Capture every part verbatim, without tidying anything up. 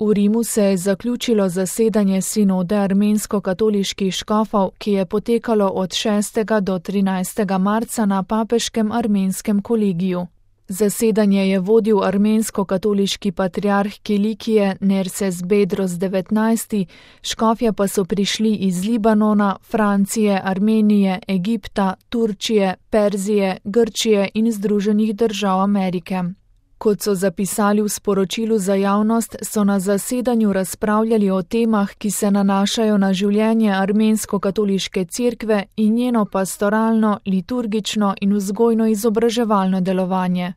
V Rimu se je zaključilo zasedanje sinode armensko-katoliških škofov, ki je potekalo od šestega do trinajstega marca na papeškem armenskem kolegiju. Zasedanje je vodil armensko-katoliški patriarh Kilikije Nerses Bedros devetnajsti, škofje pa so prišli iz Libanona, Francije, Armenije, Egipta, Turčije, Perzije, Grčije in Združenih držav Amerike. Kot so zapisali v sporočilu za javnost, so na zasedanju razpravljali o temah, ki se nanašajo na življenje armensko-katoliške cerkve in njeno pastoralno, liturgično in vzgojno-izobraževalno delovanje.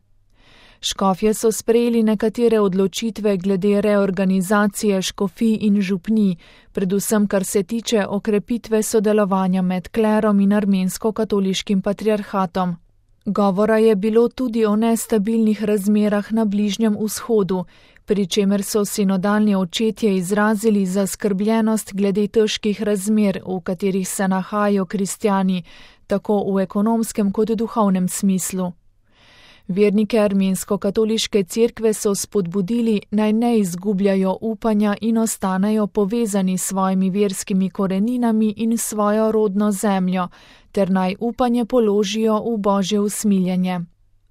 Škofje so sprejeli nekatere odločitve glede reorganizacije škofij in župnij, predvsem kar se tiče okrepitve sodelovanja med klerom in armensko-katoliškim patriarhatom. Govora je bilo tudi o nestabilnih razmerah na Bližnjem vzhodu, pri čemer so sinodalni očetje izrazili zaskrbljenost glede težkih razmer, v katerih se nahajajo kristjani, tako v ekonomskem kot duhovnem smislu. Vernike armensko-katoliške cerkve so spodbudili, naj ne izgubljajo upanja in ostanejo povezani s svojimi verskimi koreninami in svojo rodno zemljo, ter naj upanje položijo v Božje usmiljenje.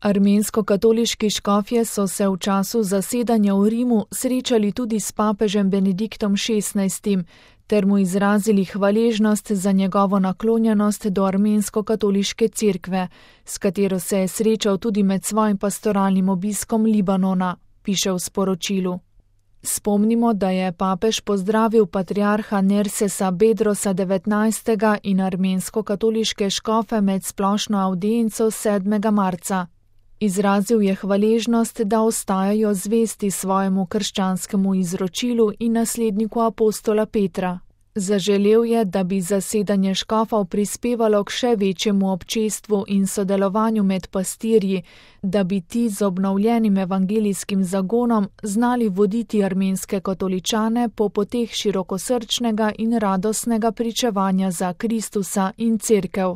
Armensko-katoliški škofje so se v času zasedanja v Rimu srečali tudi s papežem Benediktom šestnajstim, ter mu izrazili hvaležnost za njegovo naklonjenost do armensko-katoliške cerkve, s katero se je srečal tudi med svojim pastoralnim obiskom Libanona, piše v sporočilu. Spomnimo, da je papež pozdravil patriarha Nersesa Bedrosa devetnajstega in armensko-katoliške škofe med splošno avdienco sedmega marca. Izrazil je hvaležnost, da ostajajo zvesti svojemu krščanskemu izročilu in nasledniku apostola Petra. Zaželel je, da bi zasedanje škofov prispevalo k še večjemu občestvu in sodelovanju med pastirji, da bi ti z obnovljenim evangelijskim zagonom znali voditi armenske katoličane po poteh širokosrčnega in radostnega pričevanja za Kristusa in cerkev.